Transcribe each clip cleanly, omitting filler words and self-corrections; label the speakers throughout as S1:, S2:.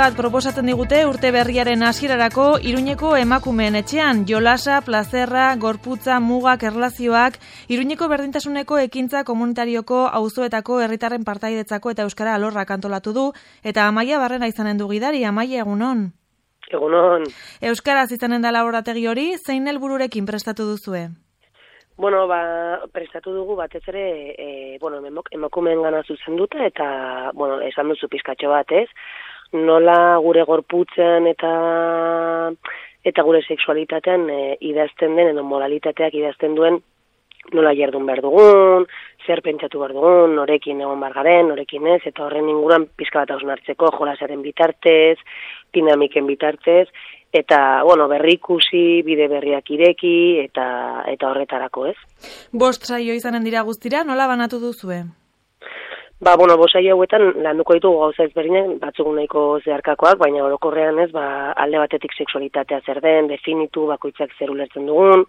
S1: bat proposatzen digute urte berriaren hasierarako Iruñeko emakumeen etxean. Jolasa, plazerra, gorputza, mugak, erlazioak, Iruñeko berdintasuneko ekintza komunitarioko auzoetako herritarren partaidetzako eta euskara alorrak antolatu du, eta Amaia Barrena izanen du gidari. Amaia, egunon.
S2: Egunon.
S1: Euskaraz izanen da laborategi hori, zein helbururekin prestatu duzue?
S2: Bueno, prestatu dugu batez ere, emakumeen gana zuzenduta eta, esan duzu pizkatxo bat, ez? Nola gure gorputzen eta gure sexualitatean idazten den, edo modalitateak idazten duen, nola jardun behar dugun, zer pentsatu behar dugun, norekin egon behar garen, norekin ez, eta horren inguruan pizka bat hausnartzeko, jolasaren bitartez, dinamiken bitartez, eta, berrikusi, bide berriak ireki, eta horretarako, ez?
S1: 5 saio izanen dira guztira, nola banatu duzue?
S2: 5 saio hauetan landuko ditugu gauza ezberdinak, batzuk nahiko zeharkakoak, baina orokorrean ez, alde batetik sexualitatea zer den, definitu, bakoitzak zer ulertzen dugun,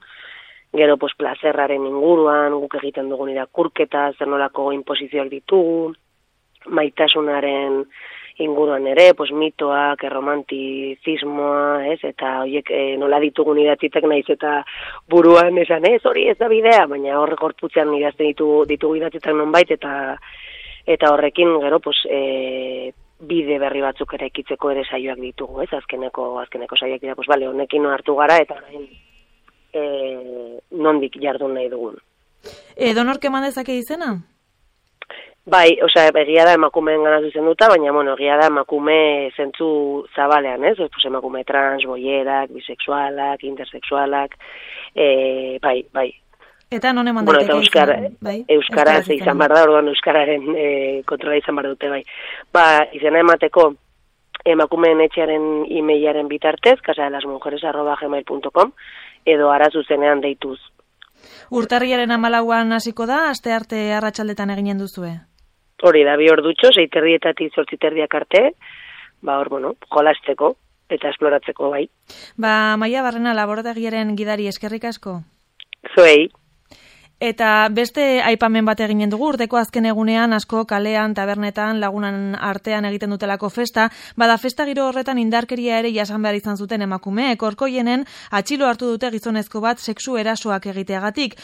S2: gero plazerraren inguruan, guk egiten dugun irakurketa, zer nolako inposizioak ditugu, maitasunaren inguruan ere, mitoak, erromantizismoa, ez, eta horiek nola ditugun idatzitek naiz eta buruan esan, hori ez da bidea, baina hor gorputzean idazten ditugu idatzitek nonbait, eta horrekin gero, bide berri batzuk ere ekitzeko ere saioak ditugu, ez, azkeneko saioak dira, honekin hartu gara, eta nondik jardun nahi dugun.
S1: Edonork eman dezake izena?
S2: Bai, egia da emakumeen gana zuzenduta, baina, egia da emakume zentzu zabalean, ez? Emakume trans, boierak, bisexualak, intersexualak, bai.
S1: Eta non eman daiteke izan?
S2: Euskaraz izan behar da, orduan euskararen kontrola izan behar dute, bai. Izena emateko emakumeen etxearen e-mailaren bitartez, casadelasmujeres@gmail.com, edo ara zuzenean deituz.
S1: Urtarriaren 14an hasiko da, astearte arratsaldetan eginen duzue?
S2: Hori da, 2 ordutxo, 6:30 8:30 arte, jolasteko eta esploratzeko, bai.
S1: Amaia Barrena, laborategiaren gidari, eskerrik asko.
S2: Zuei.
S1: Eta beste aipamen bat eginen dugu, urteko azken egunean asko kalean, tabernetan, lagunan artean egiten dutelako festa, festa giro horretan indarkeria ere jasan behar izan zuten emakumeek. Orkoienen atxilo hartu dute gizonezko bat sexu erasoak egiteagatik.